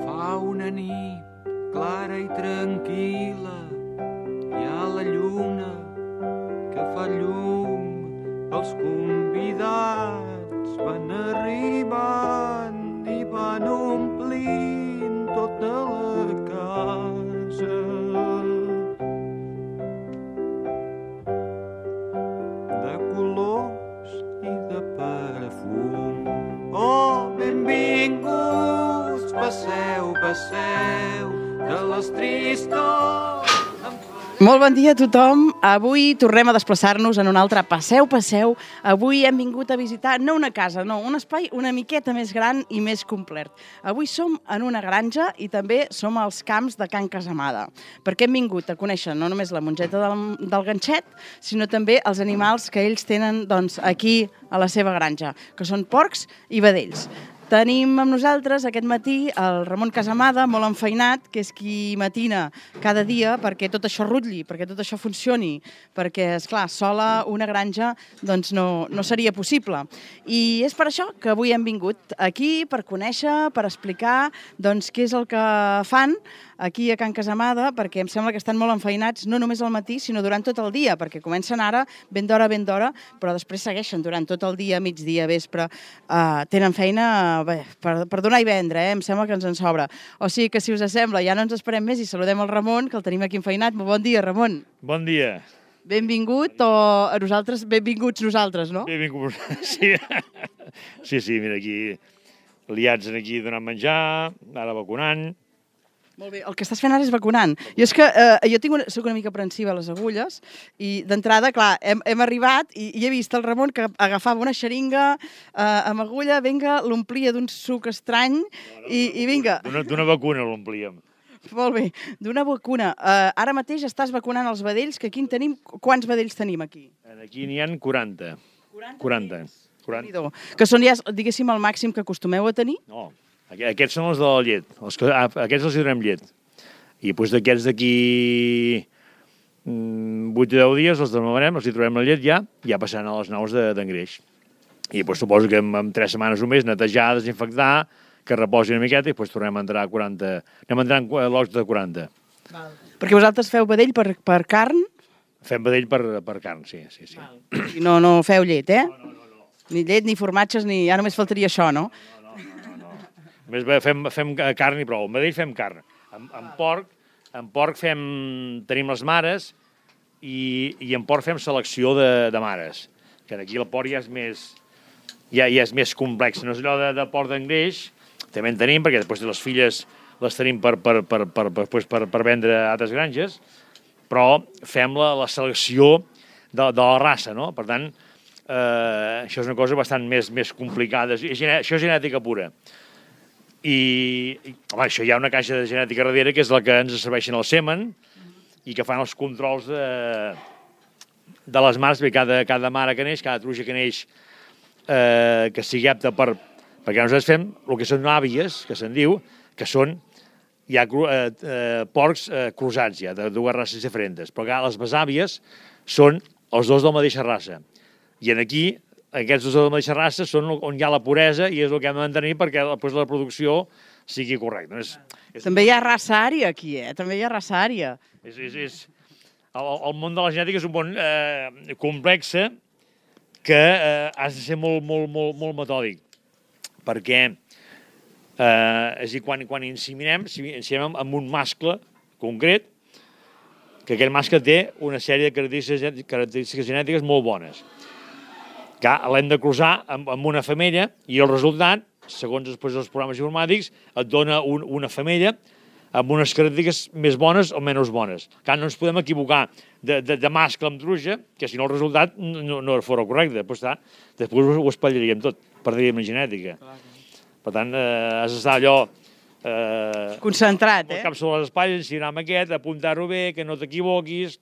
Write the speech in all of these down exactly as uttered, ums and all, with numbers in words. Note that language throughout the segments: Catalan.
Fa una nit clara i tranquil·la, hi ha la lluna que fa llum, els convidats van arribant i van omplint tota la casa de colors i de perfum. Oh, benvinguts, passeu, passeu de les tristors. Molt bon dia a tothom. Avui tornem a desplaçar-nos en un altre Passeu, Passeu. Avui hem vingut a visitar, no una casa, no, un espai una miqueta més gran i més complet. Avui som en una granja i també som als camps de Can Casamada, perquè hem vingut a conèixer no només la mongeta del, del ganxet, sinó també els animals que ells tenen doncs, aquí a la seva granja, que són porcs i vedells. Tenim amb nosaltres aquest matí el Ramon Casamada, molt enfeinat, que és qui matina cada dia perquè tot això rutlli, perquè tot això funcioni, perquè, esclar, sola una granja doncs no, no seria possible. I és per això que avui hem vingut aquí per conèixer, per explicar doncs, què és el que fan aquí a Can Casamada, perquè em sembla que estan molt enfeinats, no només al matí, sinó durant tot el dia, perquè comencen ara ben d'hora, ben d'hora, però després segueixen durant tot el dia, migdia, vespre. Uh, tenen feina bé, per, per donar i vendre, eh? Em sembla que ens en sobra. O sigui que, si us sembla, ja no ens esperem més i saludem el Ramon, que el tenim aquí enfeinat. Bon dia, Ramon. Bon dia. Benvingut, o a nosaltres, benvinguts nosaltres, no? Benvinguts, sí. Sí, sí, mira, aquí liats aquí donant menjar, ara vacunant. Molt bé, el que estàs fent ara és vacunant. Jo és que eh, jo tinc una, soc una mica aprensiva a les agulles i d'entrada, clar, hem, hem arribat i, i he vist el Ramon que agafava una xeringa eh, amb agulla, vinga, l'omplia d'un suc estrany i, i vinga. D'una vacuna l'omplíem. Molt bé, d'una vacuna. Uh, ara mateix estàs vacunant els vedells, que aquí en tenim... Quants vedells tenim aquí? Aquí n'hi ha quaranta. quaranta. quaranta. Que són ja, diguéssim, el màxim que acostumeu a tenir? No, aquests són els de la llet. Els que, aquests els hi donem llet. I doncs d'aquests d'aquí vuit o deu dies els demarem, els hi trobem la llet ja, ja passant a les nous d'engreix. I doncs suposo que en, en tres setmanes o més netejar, desinfectar, que reposi una miqueta i després tornem a entrar a quaranta... Anem a entrar en lots de quaranta. Val. Perquè vosaltres feu vedell per, per carn? Fem vedell per, per carn, sí. sí, sí. I no, no feu llet, eh? No, no, no, no. Ni llet, ni formatges, ni... Ja només faltaria això, no? No, no, no, no. Només fem, fem carn i prou. En vedell fem carn. En, en porc, en porc fem... Tenim les mares i, i en porc fem selecció de, de mares. Que aquí el porc ja és més... Ja, ja és més complex. No és allò de, de porc d'engreix. També en tenim, perquè després de les filles les tenim per, per, per, per, per, per, per vendre a altres granges, però fem la, la selecció de, de la raça, no? Per tant, eh, això és una cosa bastant més, més complicada. Això és genètica pura. I, i home, això hi ha una caixa de genètica darrere, que és la que ens serveixen el semen i que fan els controls de, de les mares, perquè cada, cada mare que neix, cada truja que neix, eh, que sigui apta per... Perquè nosaltres fem el que són àvies, que se'n diu, que són ja eh, eh, porcs eh, cruzats, ja, de dues races diferents. Però les besàvies són els dos de la mateixa raça. I aquí, aquests dos de la mateixa raça són on hi ha la puresa i és el que hem de mantenir perquè després la producció sigui correcta. És, és... També hi ha raça ària aquí, eh? També hi ha raça ària. És, és, és... El, el món de la genètica és un món eh, complex que eh, has de ser molt, molt, molt, molt metòdic. Perquè eh, és a dir, quan, quan inseminem, inseminem amb un mascle concret, que aquest mascle té una sèrie de característiques, característiques genètiques molt bones. Que l'hem de cruzar amb, amb una femella i el resultat, segons després els programes informàtics, et dona un, una femella amb unes característiques més bones o menys bones. Que no ens podem equivocar de, de, de mascle amb truja, que si no el resultat no, no fora correcte. Després, després ho espatllaríem tot. Perdríem la genètica. Clar. Per tant, eh, has d'estar allò... Eh, concentrat, eh? El cap sobre les espatlles, ensinar amb aquest, apuntar-ho bé, que no t'equivoquis,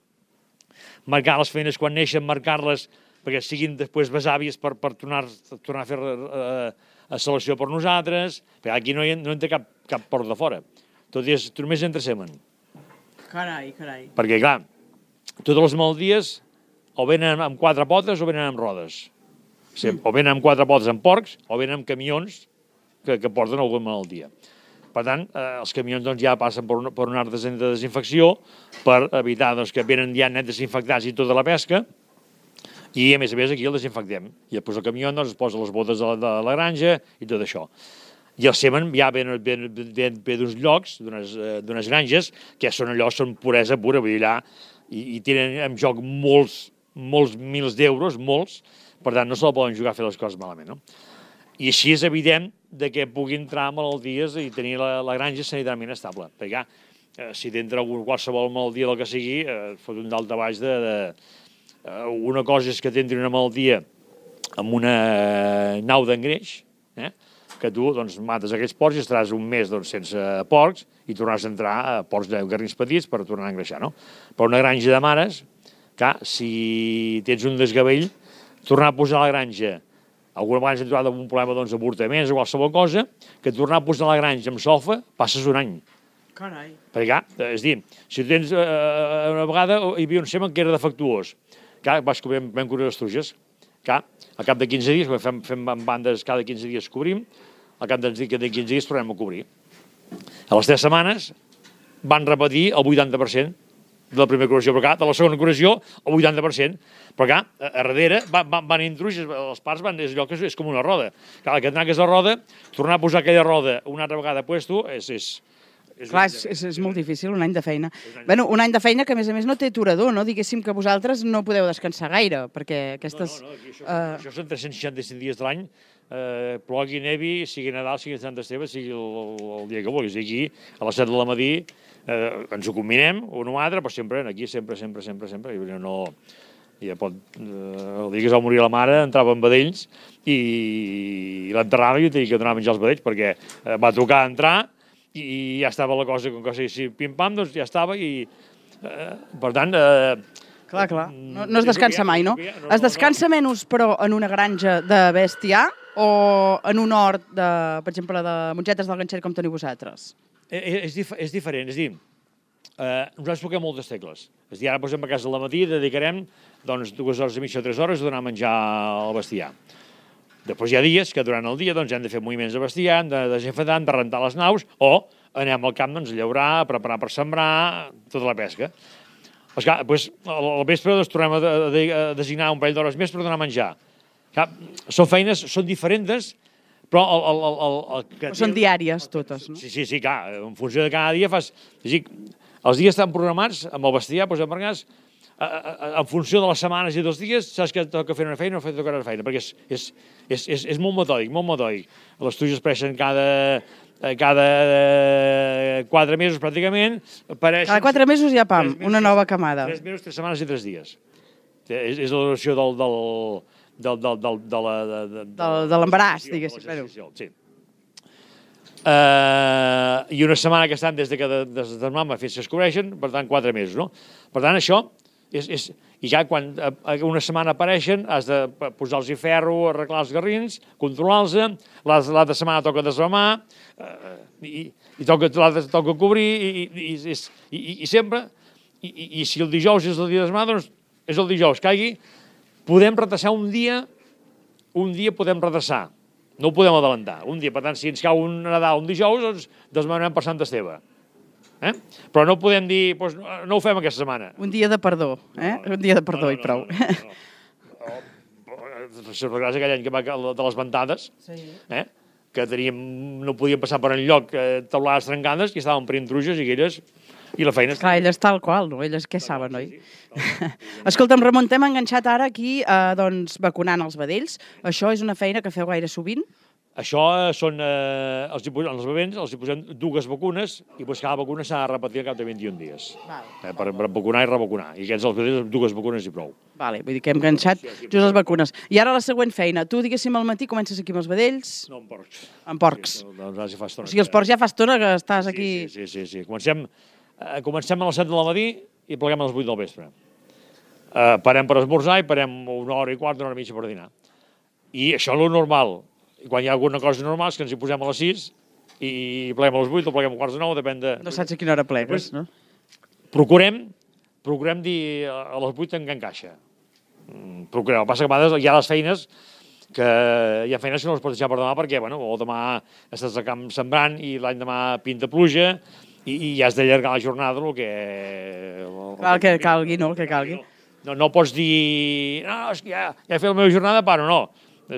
marcar les feines quan neixen, marcar-les perquè siguin després besàvies per, per tornar, tornar a fer eh, a selecció per nosaltres, perquè aquí no, hi, no entra cap, cap port de fora. Tot és, només entra semen. Carai, carai. Perquè, clar, totes les malalties o venen amb quatre potes o venen amb rodes. O venen amb quatre potes amb porcs, o venen amb camions que, que porten alguna malaltia. Per tant, eh, els camions doncs, ja passen per un, per un art de desinfecció per evitar doncs, que venen ja net desinfectats i tota la pesca, i a més a més aquí el desinfectem. I després el camió doncs, es posa les botes de la, de la granja i tot això. I el semen ja ve, ve, ve, ve d'uns llocs, d'unes granges, que són allò, són puresa pura, vull dir allà, i, i tenen en joc molts, molts mils d'euros, molts, per tant no se la poden jugar a fer les coses malament, no? I així és evident de que pugui entrar malalties i tenir la, la granja sanitàriament estable. Perquè, eh, si t'entra qualsevol malaltia del que sigui, eh, fot un dalt a baix de... de eh, una cosa és que t'entri una malaltia amb una nau d'engreix, eh, que tu doncs, mates aquests porcs i estaràs un mes doncs, sense porcs i tornaràs a entrar a porcs de garrins petits per tornar a engreixar, no? Però una granja de mares, clar, si tens un desgavell, tornar a posar a la granja, alguna vegada ens hem trobat amb un problema doncs, d'avortaments o qualsevol cosa, que tornar a posar a la granja amb solfa passes un any. Carai. Perquè, clar, és dir, si tu tens eh, una vegada hi havia un semen que era defectuós, clar, vas cobrir, vam cobrir les truges, clar, al cap de quinze dies, fem, fem bandes cada quinze dies cobrim, al cap de quinze dies tornem a cobrir. A les tres setmanes van repetir el vuitanta per cent de la primera curació, però clar, de la segona curació el vuitanta per cent, però clar, a darrere van, van, van intruixes, els parts van, és allò que és, és com una roda. Clar, que tanques la roda, tornar a posar aquella roda una altra vegada a puesto, és... és És Clar, és, és, és molt difícil, un any de feina. Bueno, un any de feina que, a més a més, no té aturador, no? Diguéssim que vosaltres no podeu descansar gaire, perquè aquestes... No, no, no, aquí això, uh... això són tres-cents seixanta-cinc dies de l'any, eh, plogui, nevi, sigui Nadal, sigui Sant Esteve, sigui el, el dia que vulguis. I aquí, a les set del matí, eh, ens ho combinem, un o altre, però sempre aquí, sempre, sempre, sempre, sempre. I no... Ja pot, eh, el dia que es va morir la mare, entrava en vedells i, i l'enterrava i tenia que donar a menjar els vedells, perquè eh, va tocar entrar i ja estava la cosa, com que si pim-pam, doncs ja estava i, eh, per tant... Eh, clar, clar, no, no es descansa mai, no? Es descansa menys, però, en una granja de bestiar o en un hort, de, per exemple, de mongetes del ganxet com teniu vosaltres? És, és, dif és diferent, és a dir, eh, nosaltres toquem moltes tecles. És a dir, ara posem a casa al matí, dedicarem doncs, dues hores i mitja o tres hores a donar a menjar al bestiar. Després hi ha dies que durant el dia doncs, hem de fer moviments de bestiar, hem de desinfectar, hem de rentar les naus, o anem al camp doncs, a llaurar, a preparar per sembrar, tota la pesca. Esclar, doncs, al vespre doncs, tornem a, de, a designar un parell d'hores més per donar a menjar. Esclar, són feines, són diferents, però... El, el, el, el, el que són diàries totes, no? Sí, sí, sí, clar, en funció de cada dia fas... Dir, els dies estan programats amb el bestiar, doncs, en vegades, en funció de les setmanes i dels dies, saps que toca fer una feina o toca una feina, perquè és, és, és, és, és molt metòdic, molt metòdic. Les truges apareixen cada, cada quatre mesos, pràcticament. Apareixen, cada quatre mesos hi ha, pam, mesos, una nova camada. Tres mesos, tres setmanes i tres dies. És, és la duració del... del del, del, del, de la, de, de, de, de l'embaràs, diguéssim. Sí. Uh, I una setmana que estan des de que de, de, de mama fins que es cobreixen, per tant, quatre mesos, no? Per tant, això... És, és, i ja quan una setmana apareixen has de posar-los ferro, arreglar els garrins, controlar-los, l'altra setmana toca desramar, eh, i, i toca, toca cobrir, i, i, i, i, i sempre, i, i, i si el dijous és el dia de desramar, doncs és el dijous, caigui, podem retrasar un dia, un dia podem retrasar, no ho podem adelantar, un dia, per tant, si ens cau un Nadal un dijous, doncs desmanem per Sant Esteve. Eh? Però no podem dir, doncs, no ho fem aquesta setmana. Un dia de perdó, eh? No, un dia de perdó no, no, i prou. No, no, no. no. Gràcies aquell any que va de les ventades, sí. eh? que teníem, no podíem passar per enlloc eh, taulades trencades i estàvem per intruges i aquelles, i la feina... Clar, elles tal qual, no? Elles què saben, oi? Sí, sí. Escolta'm, Ramon, t'hem enganxat ara aquí, eh, doncs, vacunant els vedells. Això és una feina que feu gaire sovint? Això són, eh, els, els bebents els hi posem dues vacunes i doncs cada vacuna s'ha de repetir al cap de vint-i-un dies. Eh, per, per vacunar i revacunar. I aquests els vedells dues vacunes i prou. Vale, vull dir que hem enganxat just les vacunes. I ara la següent feina. Tu, diguéssim, al matí comences aquí amb els vedells? No, amb porcs. Amb porcs. Sí, doncs ja fa estona. O sigui, els porcs ja fa estona que estàs aquí... Sí, sí, sí. sí. Comencem, eh, comencem a les set del matí i pleguem a les vuit del vespre. Eh, parem per esmorzar i parem una hora i quart, una hora i mitja per dinar. I això és el normal. Quan hi ha alguna cosa normal és que ens hi posem a les sis i pleguem a les vuit o pleguem a quarts de nou, depèn de... No saps a quina hora plegues, no? Procurem, procurem dir a les vuit en què encaixa. Procurem. El que passa que a vegades hi ha les feines que hi ha feines que no les pots deixar per demà perquè, bueno, o demà estàs al camp sembrant i l'any demà pinta pluja i, i has d'allargar la jornada el que... El, el que calgui, no? El que calgui. No, no pots dir, no, és que ja, ja he fet la meva jornada, paro, no.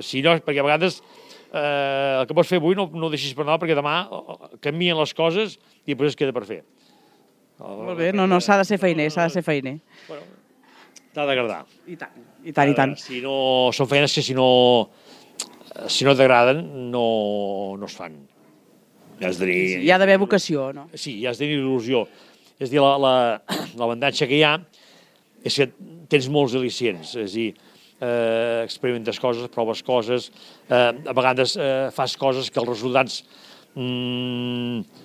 Si no, perquè a vegades eh, el que pots fer avui no, no ho deixis per demà perquè demà canvien les coses i després es queda per fer. Molt bé, no, no, s'ha de ser feiner, s'ha de ser feiner. Bueno, t'ha d'agradar. I tant, i tant, i tant. Si no, són feines que si no, si no t'agraden no, no es fan. Ja has de dir... Sí, hi ha d'haver vocació, no? Sí, hi has de tenir il·lusió. És a dir, l'avantatge que hi ha és que tens molts al·licients, és a dir, eh, experimentes coses, proves coses, eh, a vegades eh, fas coses que els resultats mm,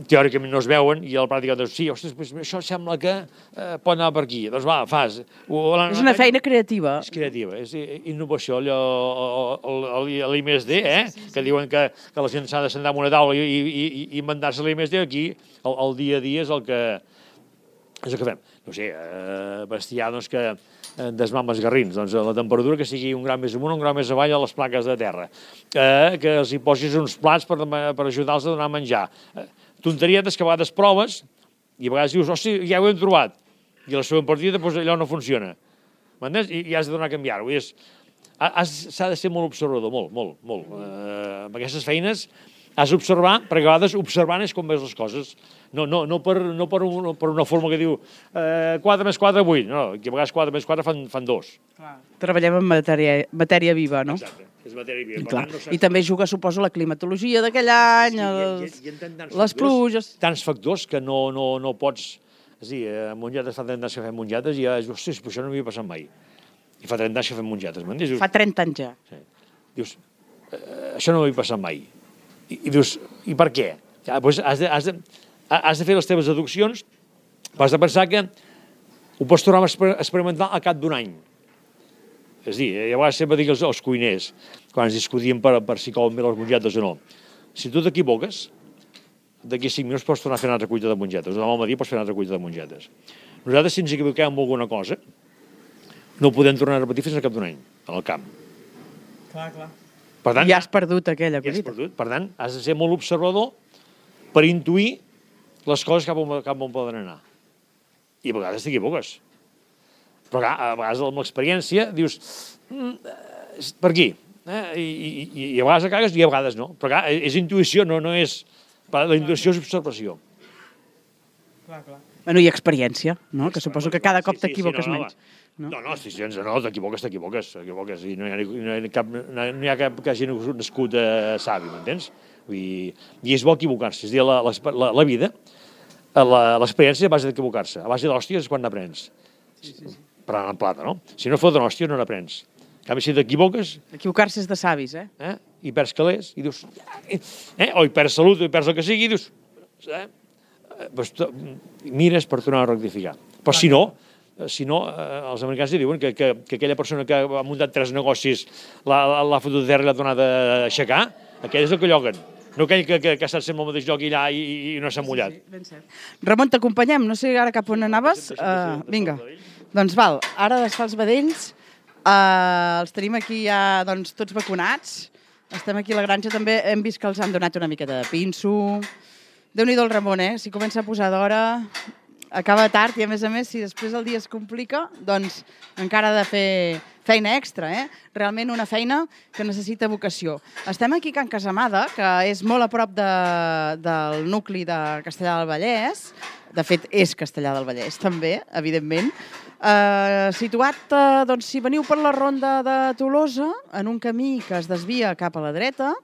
teòricament no es veuen i a la pràctica dius, sí, ostres, pues, això sembla que eh, pot anar per aquí. Doncs va, fas. O, és una feina creativa. És creativa, és innovació, allò, l'I més D, eh? Sí, sí, sí. Que diuen que, que la gent s'ha de sentar en una taula i, i, i inventar-se l'I més D, aquí el, el dia a dia és el que, és el que fem. No sé, eh, bestiar doncs, que desmam els garrins, doncs la temperatura que sigui un gram més amunt o un gram més avall a les plaques de terra, eh, que els hi posis uns plats per, per ajudar-los a donar a menjar. Eh, tonterietes que a vegades proves i a vegades dius, hosti, ja ho hem trobat, i la següent partida doncs, allò no funciona. M'entens? I, i has de donar a canviar-ho. S'ha de ser molt observador, molt, molt, molt. Eh, amb aquestes feines has d'observar, perquè a vegades observant és com veus les coses. No, no, no, per, no per, un, per una forma que diu eh, quatre més quatre, vuit. No, que a vegades quatre més quatre fan, fan dos. Clar. Treballem en matèria, matèria viva, no? Exacte, és matèria viva. I, clar, tant, no I també juga, suposo, la climatologia d'aquell any, sí, els, i, i, i les pluges... Tants factors que no, no, no pots... És a dir, a Mongetes fa trenta anys que fem mongetes i ja dius, ostres, però això no m'havia passat mai. I fa trenta anys que fem mongetes, m'entens? Fa trenta anys ja. Sí. Dius, eh, això no m'havia passat mai. I, i dius, i per què? Ja, doncs has de, has de, has de fer les teves deduccions, has de pensar que ho pots tornar a experimentar al cap d'un any. És a dir, a vegades sempre dic als, als cuiners, quan ens discutíem per, per si couen bé les mongetes o no, si tu t'equivoques, d'aquí cinc minuts pots tornar a fer una altra cuita de mongetes, o demà al matí pots fer una altra cuita de mongetes. Nosaltres, si ens equivoquem amb alguna cosa, no ho podem tornar a repetir fins al cap d'un any, al camp. Clar, clar. Per tant, ja has perdut aquella ja collita. Perdut. Per tant, has de ser molt observador per intuir les coses cap on, cap on poden anar. I a vegades t'equivoques. Però clar, a vegades amb l'experiència dius, mm, per aquí. Eh? I, i, I a vegades cagues i a vegades no. Però clar, és intuïció, no, no és... La intuïció és observació. Clar, clar. Bueno, i experiència, no? Que suposo que cada cop t'equivoques sí, sí, sí, no, menys. No, no, no, si sense no, t'equivoques, t'equivoques, t'equivoques. I no hi ha, no hi ha cap, no hi ha cap que hagi nascut eh, savi, m'entens? I és bo equivocar-se. És a dir, la, la, la vida, l'experiència a base d'equivocar-se. A base d'hòsties és quan n'aprens. Sí, sí, sí. Parlant en plata, no? Si no fot una hòstia, no n'aprens. En canvi, si t'equivoques... Equivocar-se és de savis, eh? eh? I perds calés, i dius... Eh? O hi perds salut, o hi perds el que sigui, i dius... Eh? Pues, mires per tornar a rectificar. Però si no... Si no, eh, els americans diuen que, que, que aquella persona que ha muntat tres negocis l'ha fotut de terra i l'ha tornat a aixecar, aquell és el que lloguen. No aquell que, que, que ha estat sempre al mateix lloc i allà i, i no s'ha mullat. Sí, sí, ben cert. Ramon, t'acompanyem. No sé ara cap on anaves. Uh, vinga. Doncs val, ara desfà els vedells. Uh, els tenim aquí ja doncs, tots vacunats. Estem aquí a la granja. També hem vist que els han donat una miqueta de pinso. Déu-n'hi-do el Ramon, eh? Si comença a posar d'hora... Acaba tard i, a més a més, si després el dia es complica, doncs encara ha de fer feina extra, eh? Realment una feina que necessita vocació. Estem aquí a Can Casamada, que és molt a prop de, del nucli de Castellar del Vallès. De fet, és Castellar del Vallès, també, evidentment. Eh, situat, eh, doncs, si veniu per la ronda de Tolosa, en un camí que es desvia cap a la dreta,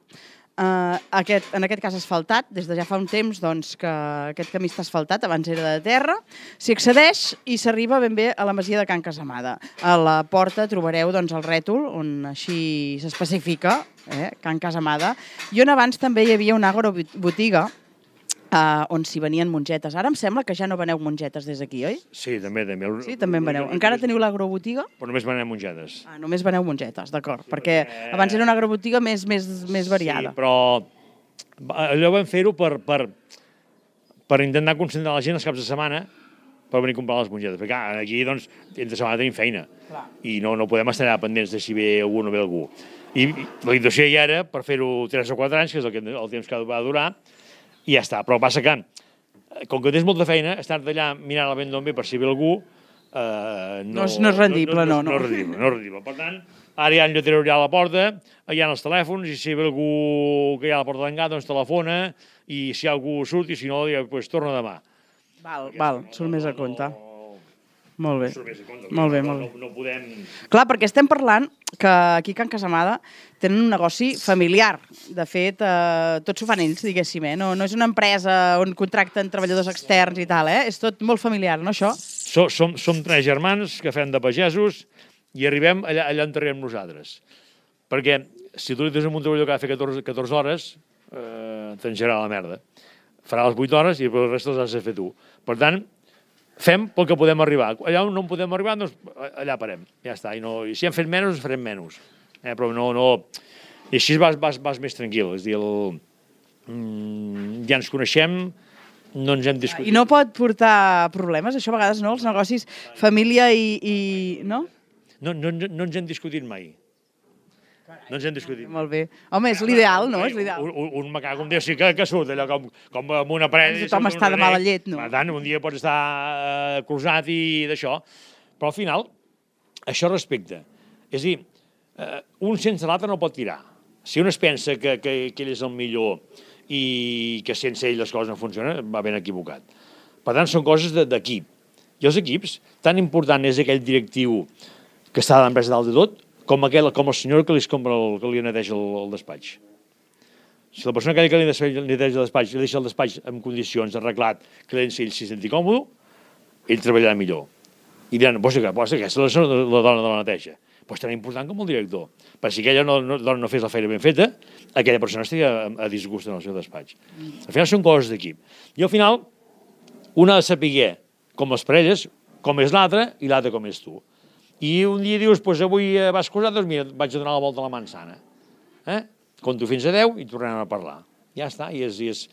Uh, aquest, en aquest cas asfaltat, des de ja fa un temps doncs, que aquest camí està asfaltat, abans era de terra, s'hi accedeix i s'arriba ben bé a la masia de Can Casamada. A la porta trobareu doncs, el rètol, on així s'especifica, eh, Can Casamada, i on abans també hi havia una agrobotiga, Uh, on s'hi venien mongetes. Ara em sembla que ja no veneu mongetes des d'aquí, oi? Sí, també. també. Sí, també en veneu. Encara teniu l'agrobotiga? Però només veneu mongetes. Ah, només veneu mongetes, d'acord. Sí, perquè, perquè abans era una agrobotiga més, més, més variada. Sí, però allò vam fer-ho per, per, per intentar concentrar la gent els caps de setmana per venir a comprar les mongetes. Perquè clar, aquí, doncs, entre setmana tenim feina. Clar. I no, no podem estar allà pendents de si ve algú o no ve algú. I la situació ja era per fer-ho tres o quatre anys, que és el, que, el temps que va durar, i ja està. Però passa que, com que tens molta feina, estar d'allà mirant el vent d'on ve per si ve algú, eh, no, no, és, no és rendible, no. No, no, no, no, és rendible, no és rendible. Per tant, ara hi ha un lletrer allà a la porta, hi ha els telèfons, i si ve algú que hi ha a la porta d'engar, doncs telefona, i si hi ha algú surt, i si no, doncs torna demà. Val, val, surt més a compte. Molt bé, compte, molt bé, molt bé. No, no podem... Clar, perquè estem parlant que aquí a Can Casamada tenen un negoci familiar. De fet, eh, tot s'ho fan ells, diguéssim, eh? No, no és una empresa on contracten treballadors externs i tal, eh? És tot molt familiar, no, això? Som, som, som tres germans que fem de pagesos i arribem allà, allà on arribem nosaltres. Perquè si tu li tens un treballador que ha de fer catorze, catorze hores, eh, t'engerà la merda. Farà les vuit hores i el resta les has de fer tu. Per tant, fem pel que podem arribar. Allà on no podem arribar, doncs allà parem. Ja està. I, no, i si hem fet menys, farem menys. Eh, però no, no... I així vas, vas, vas més tranquil. És a dir, el... mm, ja ens coneixem, no ens hem discutit. I no pot portar problemes, això a vegades, no? Els negocis, família i... i... no? No, no, no ens hem discutit mai. No ens hem discutit. Molt bé. Home, és l'ideal, no? És l'ideal. Un, un, un macaco, un dia sí que, que surt allò com, com amb una parella... Tothom està de mala llet, no? Per tant, un dia pots estar eh, cruzat i d'això. Però al final, això respecte. És a dir, eh, un sense l'altre no pot tirar. Si un es pensa que, que, que ell és el millor i que sense ell les coses no funcionen, va ben equivocat. Per tant, són coses d'equip. I els equips, tan important és aquell directiu que està a l'empresa dalt de tot, com, aquell, com el senyor que li, el, que li neteja el, el despatx. Si la persona que li neteja el despatx li deixa el despatx en condicions arreglat, que l'ell s'hi senti còmode, ell treballarà millor. I diran, pues, que, pues, aquesta és la, la dona de la neteja. Pues tan important com el director. Per si aquella no, no, dona no fes la feina ben feta, aquella persona estaria a, a disgust en el seu despatx. Al final són coses d'equip. I al final, una ha de saber com les parelles, com és l'altre i l'altre com és tu. I un dia dius, doncs avui vas casar, doncs mira, vaig a donar la volta a la manzana. Eh? Compto fins a deu i tornem a parlar. Ja està, i és... I és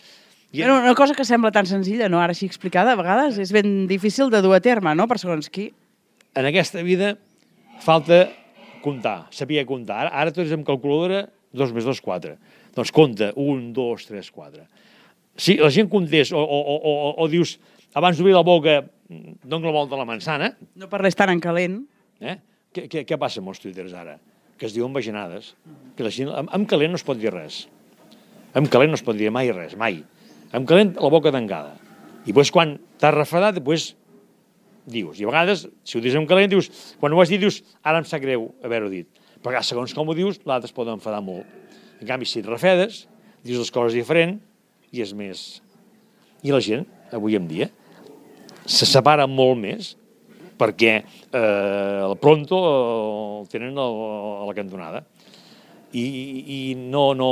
i... Però una cosa que sembla tan senzilla, no? Ara així explicada, a vegades és ben difícil de dur a terme, no?, per segons qui. En aquesta vida falta comptar, saber comptar. Ara, ara tu ets amb calculadora, dos més dos, quatre. Doncs compta, un, dos, tres, quatre. Si la gent comptés o, o, o, o, o dius, abans d'obrir la boca, dono la volta a la manzana... No parles tan en calent. Eh? Què, què, què passa amb els tuiters ara? Que es diuen vaginades. Que la gent, amb, amb calent no es pot dir res. Amb calent no es pot dir mai res, mai. Amb calent la boca tancada. I després quan t'has refredat, després dius. I a vegades, si ho dius amb calent, dius, quan ho has dit, dius, ara em sap greu haver-ho dit. Perquè segons com ho dius, l'altre es pot enfadar molt. En canvi, si et refredes, dius les coses diferent i és més... I la gent, avui en dia, se separa molt més perquè eh, el pronto el tenen a la cantonada. I, i no, no...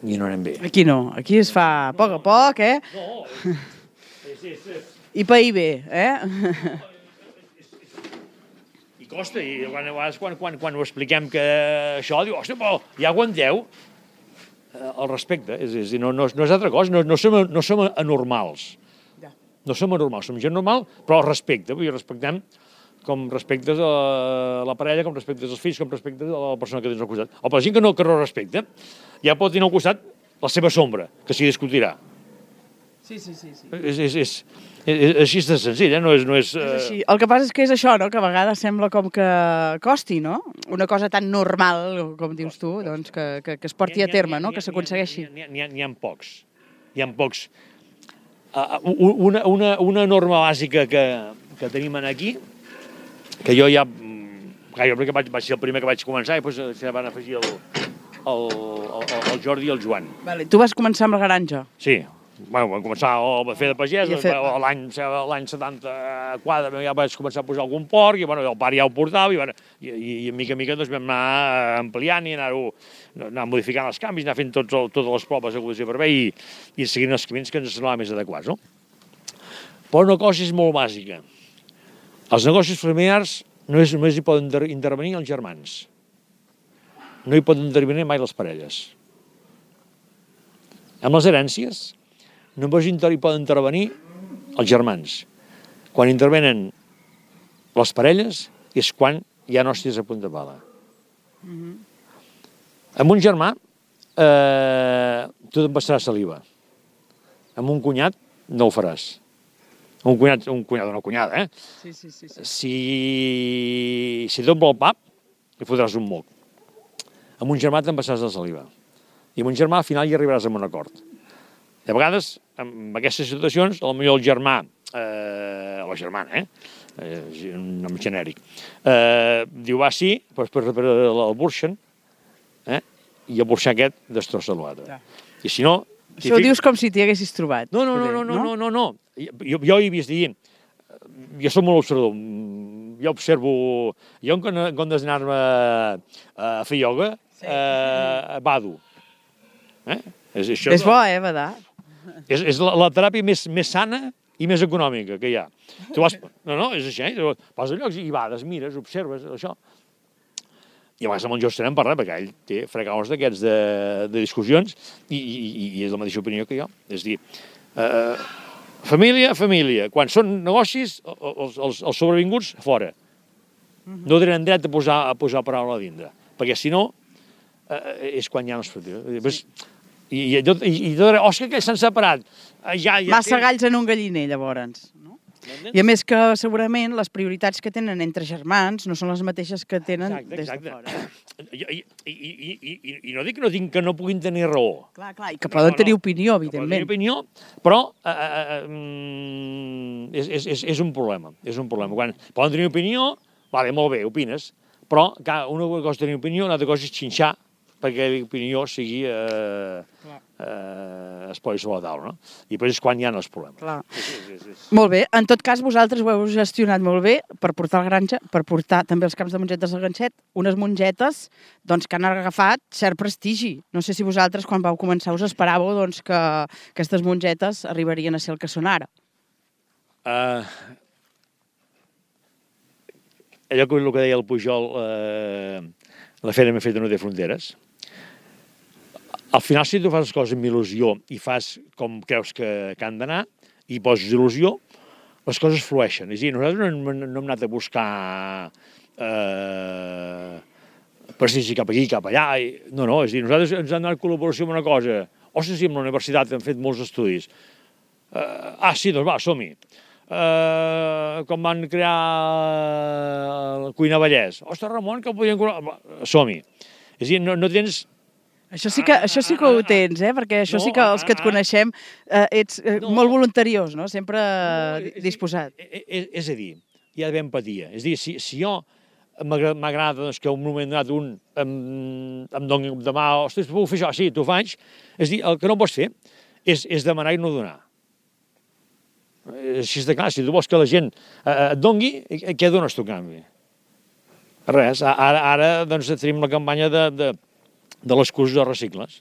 I no anem bé. Aquí no, aquí es fa a poc a poc, eh? No, és... és, és... I pair bé, eh? I costa, i quan, quan, quan, quan ho expliquem que això, diu, hòstia, però ja aguanteu el respecte. És, és, no, no, no és altra cosa, no, no, som, no som anormals. No som anormals, som gent normal, però el respecte. Vull dir, respectem com respectes a la parella, com respectes als fills, com respectes a la persona que tens al costat. O per la gent que no, que no respecta, ja pot tenir al costat la seva sombra, que s'hi discutirà. Sí, sí, sí. sí. És, és, és, és, així de senzill, eh? No és... No és, és així. El que passa és que és això, no?, que a vegades sembla com que costi, no? Una cosa tan normal, com dius tu, doncs que, que, que es porti a terme, no?, que s'aconsegueixi. N'hi ha, ha, ha pocs. N'hi ha pocs. Uh, una, una, una norma bàsica que, que tenim aquí, que jo ja, jo crec que vaig, vaig ser el primer que vaig començar i després se van afegir el, el, el, el Jordi i el Joan. Vale. Tu vas començar amb la granja? Sí. Bueno, vam començar a fer de pagès, fer... l'any setanta-quatre ja vaig començar a posar algun porc, i bueno, el pare ja ho portava, i, bueno, i, i, i mica en mica doncs, vam anar ampliant i anar-ho anar modificant els canvis, anar fent tots, totes les proves de condició per bé i, i seguint els camins que ens semblaven més adequats. No? Però una cosa és molt bàsica. Els negocis familiars no és, només hi poden intervenir els germans. No hi poden intervenir mai les parelles. Amb les herències només hi poden intervenir els germans. Quan intervenen les parelles és quan hi ha hòsties a punta pala. Amb un germà, eh, tu t'empassaràs saliva. Amb un cunyat, no ho faràs. Un cunyat, un cunyat, una cunyada, eh? Sí, sí, sí. sí. Si, si tot vol pap, li fotràs un moc. Amb un germà t'empassaràs la saliva. I amb un germà, al final, hi arribaràs a un acord. De vegades, en aquestes situacions, potser el germà, eh, o la germana, eh? eh un nom genèric, eh, diu, va, sí, però després el burxen, eh? I el burxar aquest destrossa l'altre. I si no... Això ho dius com si t'hi haguessis trobat. No, no, no, no, no, no, no, no. Jo, jo he vist dir, jo soc molt observador, jo observo, jo en comptes d'anar-me a fer ioga, sí. eh, bado. Eh? És, això, és bo, eh, badar? És, és la, la teràpia més, més sana i més econòmica que hi ha. Tu vas, no, no, és així, eh? Vas a llocs i bades, mires, observes, això. I a vegades amb el Jordi n'hem parlat, perquè ell té fregaus d'aquests de, de discussions i, i, i és la mateixa opinió que jo. És a dir, eh, família, família. Quan són negocis, els, els, els sobrevinguts, fora. No tenen dret a posar, a posar paraula a dintre, perquè si no, eh, és quan ja no es pot dir. I, i, i, i tot, Òscar, que s'han separat. Ja, ja Massa tens... galls en un galliner, llavors. No? I a més que segurament les prioritats que tenen entre germans no són les mateixes que tenen exacte, des exacte. de fora. I, i, i, i, I no dic que no, tinc, que no puguin tenir raó. Clar, clar, i que poden no, tenir no, opinió, evidentment. Que poden tenir opinió, però eh, eh, és, és, és, és un problema. És un problema. Quan poden tenir opinió, vale, molt bé, opines, però clar, una cosa és tenir opinió, una altra cosa és xinxar perquè l'opinió sigui eh, eh, es posi sobre la taula, no? I després és quan hi ha els problemes. Clar. És, és, és, és. Molt bé. En tot cas, vosaltres ho heu gestionat molt bé per portar a la granja, per portar també els camps de mongetes al ganxet, unes mongetes doncs, que han agafat cert prestigi. No sé si vosaltres, quan vau començar, us esperàveu doncs, que aquestes mongetes arribarien a ser el que són ara. Uh, allò que, el que deia el Pujol, uh, la feina ben feta no té fronteres. Al final, si tu fas les coses amb il·lusió i fas com creus que, que han d'anar i poses il·lusió, les coses flueixen. És a dir, nosaltres no, no hem anat a buscar eh, prestigi cap aquí, cap allà. I, no, no, és a dir, nosaltres ens hem donat col·laboració amb una cosa. Ostres, sí, amb la universitat hem fet molts estudis. Eh, ah, sí, doncs va, som-hi. Eh, com van crear la Cuina Vallès. Ostres, Ramon, que podien... Som-hi. És a dir, no, no tens... Això sí que, això sí que ho tens, eh? Perquè això no, sí que els que et coneixem eh, ets eh, no, molt voluntariós, no? Sempre no, és, disposat. És, és, és a dir, hi ha d'haver empatia. És a dir, si, si jo m'agrada doncs, que un moment donat un em, em doni de mà, ostres, puc fer això? Sí, t'ho faig. És a dir, el que no pots fer és, és demanar i no donar. Així de clar, si tu vols que la gent eh, et dongui, què dones tu a canvi? Res. Ara, ara doncs, tenim la campanya de... de de les cursos de recicles.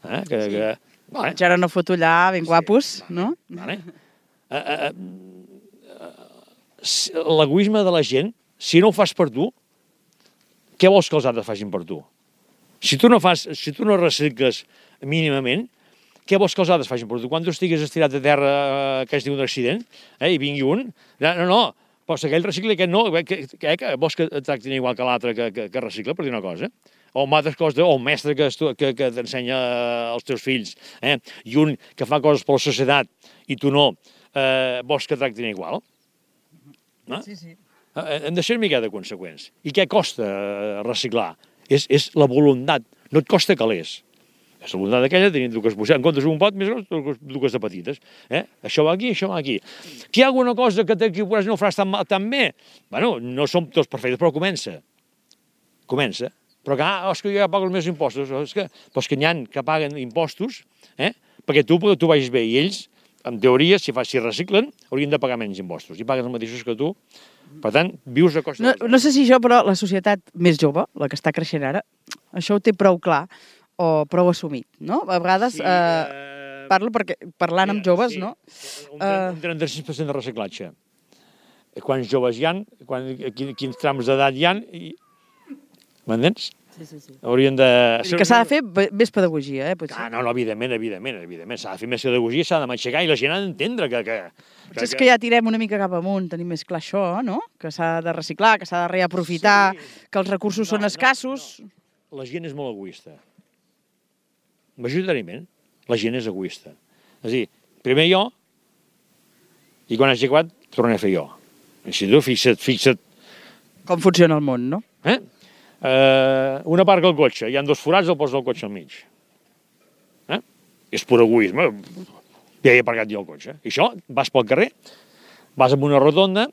Eh? Que, sí. que, vale. Ja ara no fotollar, ben guapos, sí, vale, no? Vale. Uh, uh, uh, L'egoisme de la gent, si no ho fas per tu, què vols que els altres facin per tu? Si tu no fas, si tu no recicles mínimament, què vols que els altres facin per tu? Quan tu estigues estirat a terra uh, que has tingut un accident, eh, i vingui un, no, no, però si aquell recicla, aquest no, que, que, que vols que et tractin igual que l'altre que, que, que recicla, per dir una cosa? O altres coses, o un mestre que, que, que t'ensenya als teus fills, eh? I un que fa coses per la societat i tu no, eh, vols que tractin igual? No? Sí, sí. Eh, hem de ser una mica de conseqüents. I què costa reciclar? És, és la voluntat, no et costa calés. És la voluntat aquella de tenir dues bocetes, en comptes d'un pot, més grans, dues de petites. Eh? Això va aquí, això va aquí. Que hi ha alguna cosa que t'equivocaràs i no ho faràs tan, tan bé? Bueno, no som tots perfectes, però comença. Comença. Però que, ah, és que jo ja pago els meus impostos. És que, però és que n'hi ha que paguen impostos eh, perquè tu, tu vagis bé. I ells, en teoria, si, fa, si reciclen, haurien de pagar menys impostos. I paguen els mateixos que tu. Per tant, vius a costa... No, no sé si això, però la societat més jove, la que està creixent ara, això ho té prou clar o prou assumit, no? A vegades... Sí, eh, eh, parlo perquè, parlant mira, amb joves, sí, no? Un trenta-sis per cent de reciclatge. Quants joves hi ha, quan, quins trams d'edat hi ha... I... M'entens? Sí, sí, sí. Haurien de... Vull dir que s'ha de fer be- més pedagogia, eh, potser. Ah, no, no, evidentment, evidentment, evidentment. S'ha de fer més pedagogia, s'ha de matxacar i la gent ha d'entendre que... que, Potser és que ja tirem una mica cap amunt, tenim més clar això, no? Que s'ha de reciclar, que s'ha de reaprofitar, Sí. que els recursos No, són no, escassos. La gent és molt egoista. Majoritàriament, la gent és egoista. És a dir, primer jo, i quan hagi acabat, tornaré a fer jo. Així tu, fixa't, fixa't. Com funciona el món, no? Eh? Uh, una part del cotxe, hi ha dos forats, el posa el cotxe al mig. Eh? És pur egoisme. Ja he aparcat jo el cotxe. I això, vas pel carrer, vas amb una rotonda,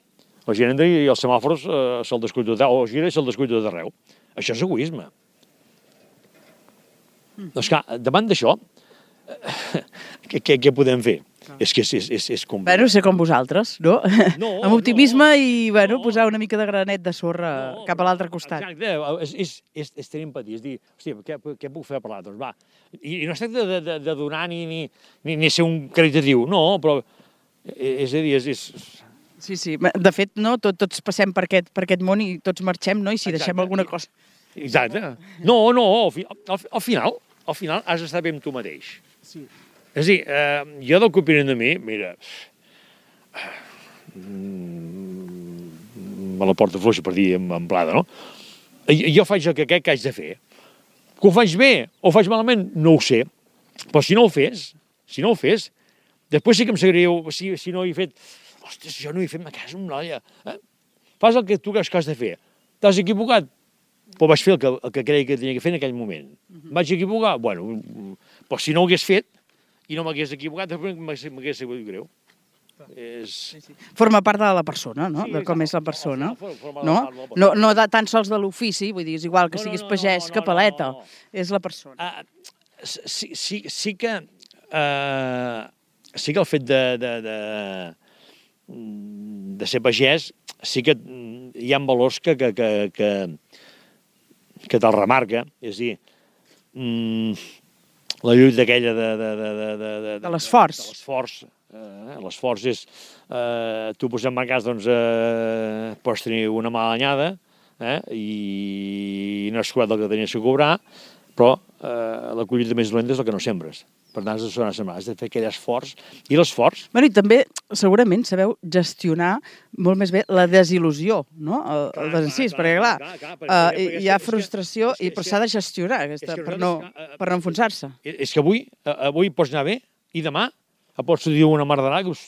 la gent entra i els semàfors uh, se'l descuida tot, o gira i se'l descuida tot arreu. Això és egoisme. Mm. Doncs clar, davant d'això, què, què, què podem fer? És que és, és, és, és complicat. Bueno, ser com vosaltres, no? No, amb optimisme no, i, bueno, no. posar una mica de granet de sorra No, cap a l'altre costat. Exacte, és, és, és, és tenir empatia, és dir, hòstia, què, què puc fer per l'altre? Doncs va, i, i no es tracta de, de, de donar ni, ni, ni, ni ser un caritatiu, no, però és a dir, és... és... Sí, sí, de fet, no, tot, tots passem per aquest, per aquest món i tots marxem, no? I si Exacte. deixem alguna cosa... Exacte. No, no, al, fi, al, al final, al final has d'estar bé amb tu mateix. Sí. És a dir, eh, jo del que opinen de mi, mira, me la porta fluixa per dir en, en plada, no? Jo faig el que crec que haig de fer. Que ho faig bé o ho faig malament, no ho sé. Però si no ho fes, si no ho fes, després sí que em sabríeu, si, si no he fet, ostres, jo no he fet ma casa amb l'olla. Eh? Fas el que tu creus que has de fer. T'has equivocat? Però vaig fer el que, el que creia que tenia que fer en aquell moment. Uh-huh. Vaig equivocar? Bueno, però si no ho hagués fet, i no m'hagués equivocat, m'hagués sigut greu. És... Sí, sí. Forma part de la persona, no? Sí, de com és la exacte. persona. Forma No? part de la persona. No, no de tan sols de l'ofici, vull dir, és igual que No, no, siguis no, pagès no, que no, paleta. no, no. És la persona. Uh, sí, sí, sí que... Uh, sí que el fet de, de, de, de ser pagès, sí que hi ha valors que, que, que, que, que te'l remarca. És a dir, mm, la lluita aquella de... De, de, de, de, de, De l'esforç. De l'esforç. Eh, l'esforç és... Eh, tu posant en cas, doncs, eh, pots tenir una mala anyada, eh, i no has cobrat el que tenies que cobrar, però eh, la collita més dolenta és el que no sembres. Per tant, has de, sembrar, has de fer aquell esforç. I l'esforç... Bueno, i també, segurament, sabeu gestionar molt més bé la desil·lusió, no? El, el desencís, perquè, clar, clar, clar, uh, perquè- perquè hi ha és que- frustració, és que- i però és s'ha que- de gestionar, aquesta, és que per, no, nosaltres, eh, per no enfonsar-se. És que avui, eh, avui pots anar bé i demà et pots dir una mardarà que us...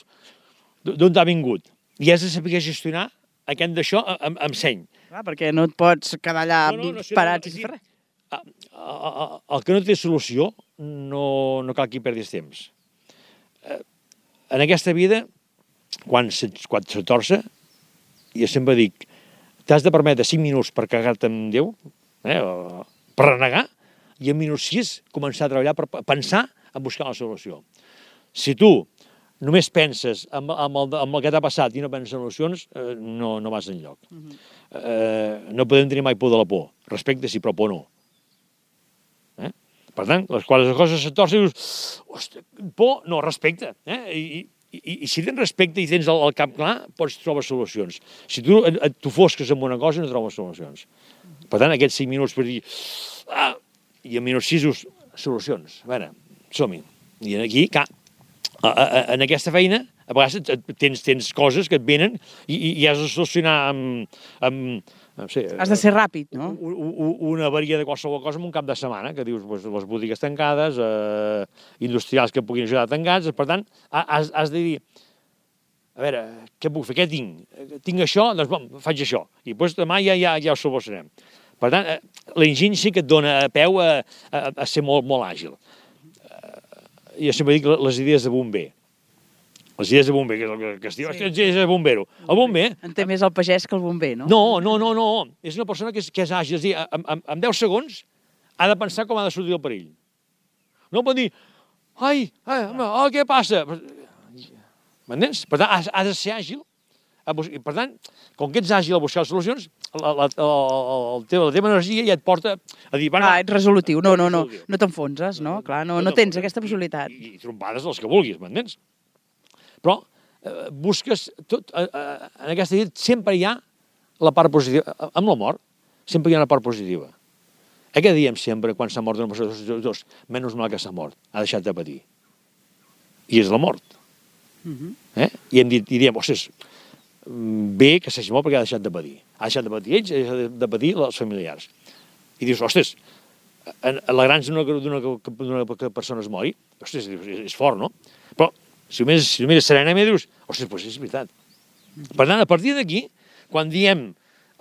d'on t'ha vingut. I has de saber gestionar aquest d'això amb, amb seny. Clar, perquè no et pots quedar allà No, no, no, sí, parat no, no, sense fer res. A- a- a- El que no té solució no, no cal que hi perdis temps. Eh, En aquesta vida, quan se, quan se torça, jo sempre dic, t'has de permetre cinc minuts per cagar-te en Déu, eh, o per renegar, i en minut sis començar a treballar per pensar en buscar la solució. Si tu només penses en, en, el, en el que t'ha passat i no penses en solucions, eh, no, no vas enlloc. Uh-huh. eh, no podem tenir mai por de la por. Respecte sí, però por no. Eh? Per tant, les, quan les coses se torcen, dius, ostres, por, no, respecte. Eh? I, i, I si tens respecte i tens el, el cap clar, pots trobar solucions. Si tu et, et t'ofosques en una cosa, no trobes solucions. Per tant, aquests cinc minuts per dir, ah, i en minuts sis, solucions. A veure, som-hi. I aquí, clar, a, a, en aquesta feina, a vegades tens, tens coses que et venen i, i, i has de solucionar amb... amb no sé, Has de ser ràpid, no? u- u- una avaria de qualsevol cosa en un cap de setmana, que dius, pues, les botigues tancades, eh, industrials que puguin ajudar tancats, per tant, has, has de dir, a veure, què puc fer, què tinc? Tinc això, doncs bon, faig això, i després demà ja, ja, ja ho solucionem. Per tant, eh, l'enginy sí que et dona peu a, a, a ser molt, molt àgil. Jo sempre dic les idees de bomber. Les idees de bomber, que és el que, que es diu, sí. Les idees de bombero. El bomber... En té més el pagès que el bomber, no? No, no, no, no. És una persona que és, que és àgil. És a dir, en, en, en deu segons ha de pensar com ha de sortir el perill. No pot dir, ai, ai oh, què passa? M'entens? Per tant, ha, ha de ser àgil. Per tant, com que ets àgil a buscar solucions, la, la, la, la, teva, la teva energia ja et porta a dir... Clar, ets resolutiu. No, no, no. No t'enfonses, no? Clar, no, no tens aquesta possibilitat. I, i trompades els que vulguis, m'entens? Però eh, busques... Tot, eh, eh, en aquesta vida sempre hi ha la part positiva. Amb la mort sempre hi ha una part positiva. Eh que diem sempre, quan s'ha mort una persona, dos, dos, menys mal que s'ha mort, ha deixat de patir. I és la mort. Mhm. Eh? I, hem dit, i diem, ostres, bé que s'hagi mort perquè ha deixat de patir. Ha deixat de patir ells, ha deixat de patir els familiars. I dius, ostres, alegrant-se d'una persona es mori, ostres, és fort, no? Però si ho mires, si ho mires serenament, dius, ostres, doncs és veritat. Per tant, a partir d'aquí, quan diem,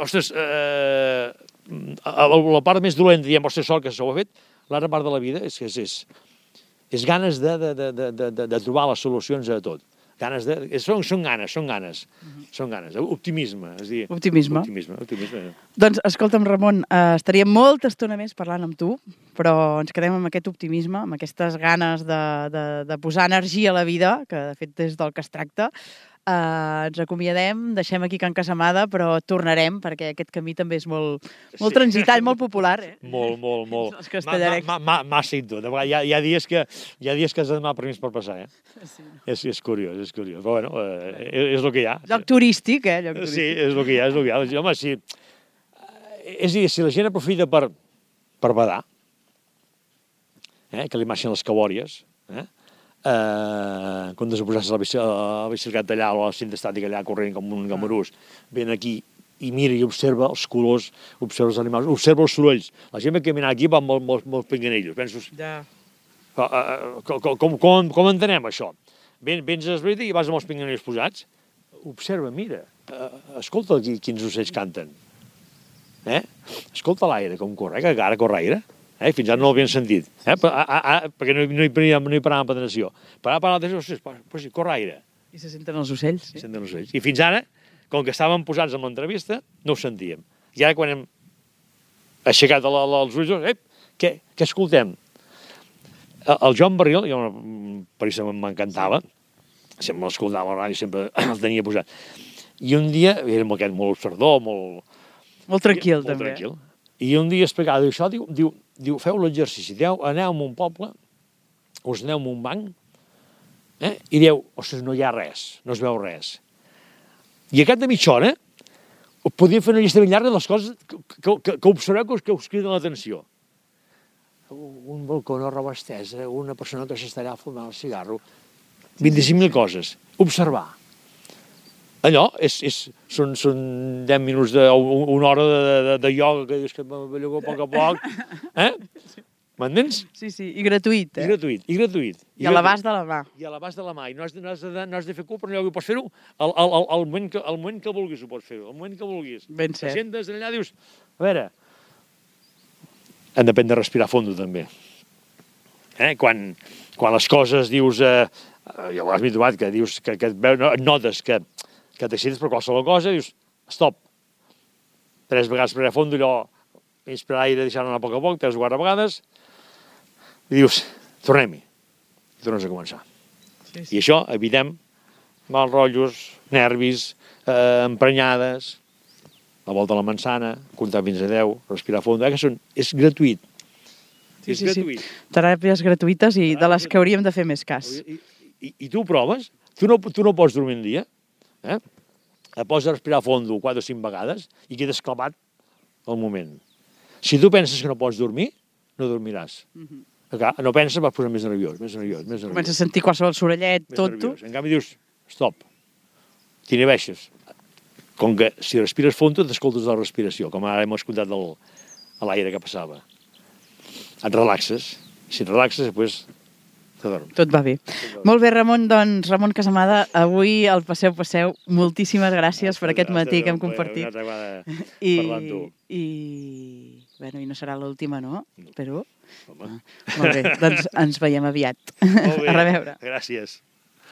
ostres, eh, la part més dolenta, diem, ostres, sort que s'ho ha fet, l'altra part de la vida és, és, és, és ganes de, de, de, de, de, de trobar les solucions a tot. Ganes de, són, són ganes, són ganes, són ganes, optimisme, és dir... Optimisme. Optimisme, optimisme. Doncs, escolta'm, Ramon, eh, estaríem molta estona més parlant amb tu, però ens quedem amb aquest optimisme, amb aquestes ganes de, de, de posar energia a la vida, que de fet és del que es tracta. Eh, ens acomiadem, deixem aquí Can Casamada, però tornarem, perquè aquest camí també és molt, molt Sí. transitat, molt popular. Eh? Molt, molt, molt. Els castellarecs. Ma, ma, ma, massa i tot. Hi ha, hi, ha dies que, hi ha dies que has de demanar permís per passar, eh? Sí. És, és curiós, és curiós. Però bueno, eh, és, és el que hi ha. Lloc turístic, eh? Lloc turístic. Sí, és el que hi ha, és el que hi ha. Home, sí. És a dir, si la gent aprofita per, per badar, eh, que li marxen les cabòries, eh, eh, en comptes de posar-se la, bici, la bicicleta allà o la cinta estàtica allà corrent com un gamarús, ven aquí i mira i observa els colors, observa els animals, observa els sorolls. La gent va caminar aquí va amb molts molt, molt pinganillos. Penso, Ja. com, com, com, com entenem això? Ven, vens a l'esbrita i vas amb els pinganillos posats, observa, mira, uh, escolta aquí quins ocells canten. Eh? Escolta l'aire com corre, que ara corre aire. Eh? Fins ara no l'havien sentit, eh? Per, a, a, a, perquè no, no, hi, no hi paràvem per atenció. Paràvem per l'atenció, ostres, però sí, corre aire. I se senten els ocells. Sí. Senten els ocells. I fins ara, com que estàvem posats en l'entrevista, no ho sentíem. I ara quan hem aixecat la, la, els ulls, eh, què, què escoltem? El Joan Barril, jo per això m'encantava, sempre l'escoltava a la ràdio, sempre el tenia posat. I un dia, era amb aquest molt observador, molt... Molt tranquil, molt també. tranquil. I un dia explicava, diu, això, diu, diu, diu feu l'exercici, diu, aneu a un poble, us aneu a un banc, eh, i dieu, ostres, no hi ha res, no es veu res. I a cap de mitja hora, podíem fer una llista ben llarga de les coses que, que, que, que observeu que us, que us criden l'atenció. Un balcó, una roba estesa, una persona que s'estarà fumant el cigarro, vint-i-cinc mil coses. Observar. Allò és, és, són, són deu minuts, de, una hora de, de, de ioga que dius que m'avellugo a poc a poc. Eh? M'entens? Sí, sí, i gratuït, I eh? gratuït, i gratuït. I a l'abast de la mà. I a l'abast de la mà. I no has de, no has de, no has de fer cul, però no pots fer-ho al, al, al, al, moment que, al moment que vulguis ho pots fer-ho, al moment que vulguis. Ben cert. Te sentes allà, dius, a veure, hem d'aprendre a respirar fondo, també. Eh? Quan, quan les coses dius, eh, ja ho has trobat, que dius, que, que et notes que, que t'excites per qualsevol cosa, dius, stop. Tres vegades respirar fondo, allò, inspirar aire, deixar-ho anar a poc a poc, tres o quatre vegades, i dius, tornem-hi. I tornes a començar. Sí, sí. I això, evitem mal rotllos, nervis, eh, emprenyades, la volta a la manzana, comptar fins a deu, respirar fons, eh, que són, és gratuït. Sí, és sí, gratuït. sí. Teràpies gratuïtes i de les que hauríem de fer més cas. I, i, i tu ho proves, tu no, tu no pots dormir un dia, eh? Et pots respirar fondo quatre o cinc vegades i quedes clavat al moment. Si tu penses que no pots dormir, no dormiràs. Mhm. Clar, no penses, vas posar més nerviós, més nerviós, més nerviós. Comença a sentir qualsevol sorellet, més tot tu. nerviós. En canvi dius, stop, t'inhibeixes. Com que si respires fondo t'escoltes la respiració, com ara hem escoltat el, a l'aire que passava. Et relaxes, si et relaxes, després t'adorms. Tot va bé. Molt bé, Ramon, doncs, Ramon Casamada, avui al Passeu Passeu, moltíssimes gràcies per aquest matí que hem compartit. I, parlar amb tu. i, bueno, i no serà l'última, no? Espero. Home. Molt bé, doncs ens veiem aviat. Molt bé. A reveure. Gràcies.